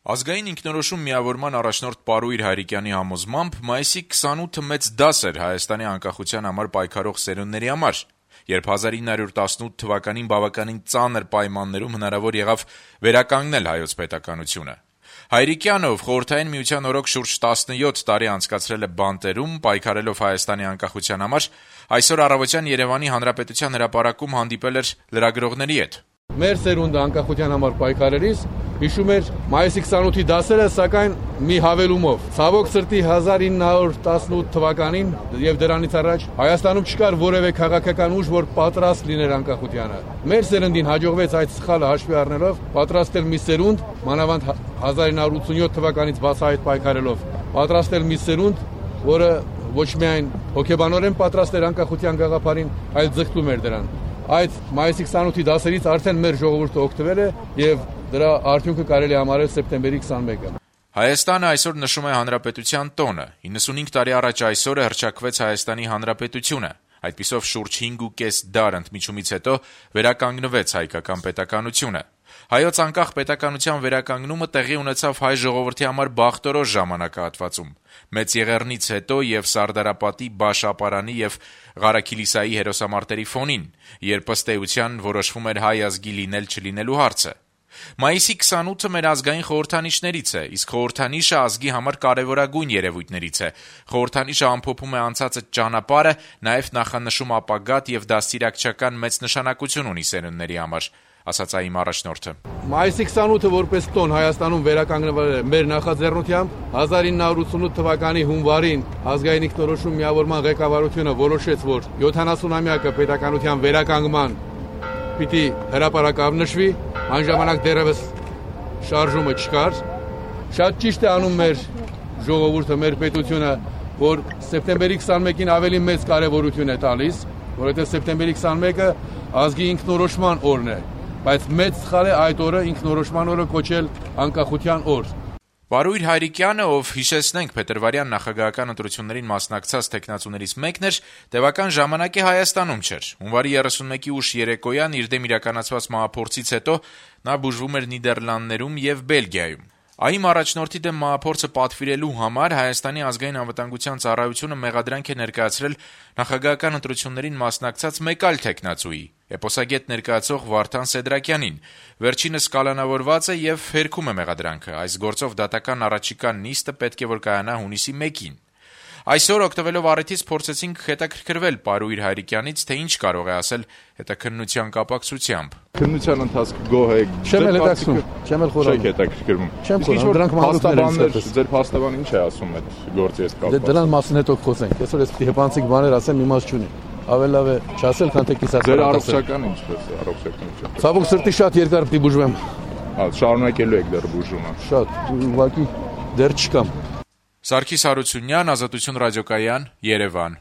Ազգային ինքնորոշում միավորման առաջնորդ Պարույր Հայրիկյանի համոզմամբ մայիսի 28-ը մեծ դաս էր Հայաստանի անկախության համար պայքարող սերունդների համար, երբ 1918 թվականին բավականին ծանր պայմաններում հնարավոր եղավ վերականգնել հայոց պետականությունը։ Հայրիկյանը, ով Խորհրդային Միության օրոք շուրջ 17 տարի անցկացրել է բանտերում, պայքարելով Հայաստանի անկախության համար, այսօր առավոտյան Երևանի Հանրապետության հրապարակում հանդիպել էր լրագրողների հետ։ Մեր սերունդը անկախության համար պայքարելիս հիշում էր մայիսի 28-ի դասերը, սակայն մի հավելումով։ Ցավոք սրտի 1918 թվականին եւ դրանից առաջ Հայաստանում չկար որևէ քաղաքական ուժ, որ պատրաստ լիներ անկախությանը։ Մեր սերնդին հաջողվեց այդ սխալը հաշվի առնելով պատրաստել մի սերունդ, մանավանդ 1987 թվականից բացահայտ պայքարելով, պատրաստել մի սերունդ, որը ոչ միայն հոգեբանորեն պատրաստ էր անկախության գաղափարին, այլ ձգտում էր դրան։ Այդ մայիսի 28-ի դասերից արդեն մեր ժողովուրդը օգտվել է եւ դրա արդյունքը կարելի է համարել սեպտեմբերի 21-ը։ Հայաստանը այսօր նշում է Հանրապետության տոնը։ 95 տարի առաջ այսօրը հռչակվեց Հայաստանի Հանրապետությունը։ Այդպիսով շուրջ 5.5 դար ընդմիջումից հետո վերականգնվեց հայկական պետականությունը։ Հայոց անկախ պետականության վերականգնումը տեղի ունեցավ հայ ժողովրդի համար բախտորոշ ժամանակահատվածում։ Մեծ Եղեռնից հետո եւ Սարդարապատի, Բաշապարանի եւ Ղարաքիլիսայի հերոսամարտերի ֆոնին, երբ ըստ էության որոշվում էր հայ ազգի լինել-չլինելու հարցը։ Մայիսի 28-ը մեր ազգային խորհրդանիշներից է, իսկ խորհրդանիշը ազգի համար կարևորագույն երևույթներից է։ Խորհրդանիշը ամփոփում է անցածը ճանապարհը, նաև նախանշում ապագատ եւ դաստիարակչական մեծ նշանակություն ունի սերունդների համար, ասաց այն առաջնորդը։ Մայիսի 28-ը որպես տոն Հայաստանում վերականգնվել է մեր նախաձեռնությամբ 1988 թվականի հունվարին ազգային ինքնորոշում միավորման ղեկավարությունը որոշեց, որ 70-ամյակը պետականության վերականգնման պիտի հրապարակավ նշվի, այն ժամանակ դեռևս շարժումը չկար։ Շատ ճիշտ է անում մեր ժողովուրդը, մեր պետությունը, որ սեպտեմբերի 21-ին ավելի մեծ կարևորություն է տալիս, որովհետև սեպտեմբերի 21-ը ազգի ինքնորոշման օրն է, բայց մեծ սխալ է այդ օրը ինքնորոշման օրը կոչել անկախության օր։ Պարույր Հայրիկյանը, ով հիշեցնենք փետրվարյան նախագահական ընտրություններին մասնակցած տեխնացուներից մեկն էր, տևական ժամանակի Հայաստանում չէր։ Հունվարի 31-ի ուշ երեկոյան իր դեմ իրականացված մահափորձից հետո նա բուժվում էր Նիդերլանդներում եւ Բելգիայում։ ԱԻՄ առաջնորդի դեմ մահափորձը պատվիրելու համար Հայաստանի ազգային անվտանգության ծառայությունը մեղադրանք է ներկայացրել նախագահական ընտրություններին մասնակցած մեկ այլ տեխնացուի, էպոսագետ ներկայացող Վարդան Սեդրակյանին։ Վերջինս կալանավորված է եւ հերքում է մեղադրանքը։ Այս գործով դատական առաջիկա նիստը պետք է որ կայանա հունիսի 1-ին։ Այսօր օգտվելով առիթից փորձեցինք հետաքրքրվել Պարույր Հայրիկյանից, թե ինչ կարող է ասել հետաքննության կապակցությամբ։ Քննության ընթացքը գոհ եք։ Չեմ հետաքրքրում, չեմ խորհրդում։ Չեք հետաքրքրում։ Չեմ խորհրդում, դրանք մանրուքներ են։ Ձեր փաստաբանը ինչ է ասում այդ գործի հետ կապված։ Դրան մասին հետո խոսենք։ Այսօր ես պիտի հեփանցիկ բաներ ասեմ, իմաստ չունի։ Ավելի լավ է չասել, քան թե կիսած։ Ձեր առողջական ինչպես է, առողջականությունը։ Ցավոք սրտի շատ երկար պիտի բուժվեմ։ Շարունակելու եք դեռ բուժումը։ Շատ, ուղղակի դեռ չկամ։ Սարգիս Հարությունյան, Ազատություն ռադիոկայան, Երևան։